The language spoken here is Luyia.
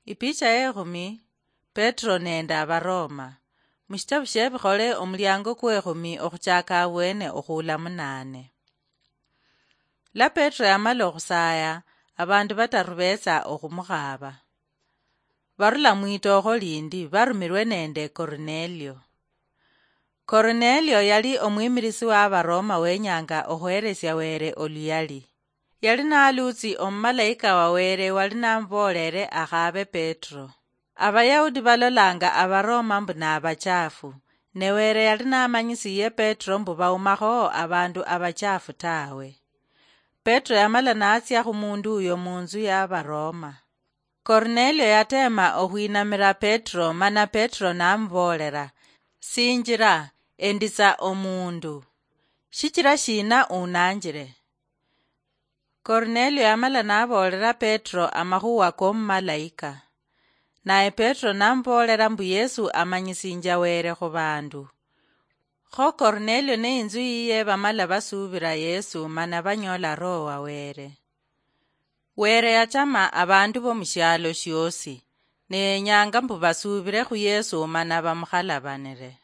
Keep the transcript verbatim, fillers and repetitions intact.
Ipicha yekhumi. Petro nende Abaroma. Mushitabu shiebikhole, omuliango kwekhumi okhuchaka abwene okhuula munaane. La Petro yamala okhusaya, abandu bataru betsa okhumukhaaba. Barula mwitookho lindi, barumilwe nende Kornelio. Kornelio yali omwimilisi wa Abaroma wenyanga okhweresia Wele oluyali. Yali naluutsi omumalaika wa Wele wali namuboolele akhaabe Petro. Abayahudi balolanga Abaroma mbu nabachafu, ne Wele yali namanyisiye Petro mbu baumakho abandu abachafu tawe. Petro yamala natsia khumundu uyo munzu ya Abaroma. Kornelio yateema okhwinamira Petro, mana Petro namuboolera, "Sinjira, enditsa omundu. Shichira shina unanjire?" Kornelio yamala naboolera Petro amakhuwa komumalaika. Naye Petro namuboolera mbu Yesu amanyisinja Wele khubandu. Kho Kornelio ne inzu yiye bamala basuubira Yesu mana banyola Roho wa Wele. Wele yachama abandu bomushialo shiosi, ne yenyanga mbu basuubire khu Yesu mana bamukhalabanire.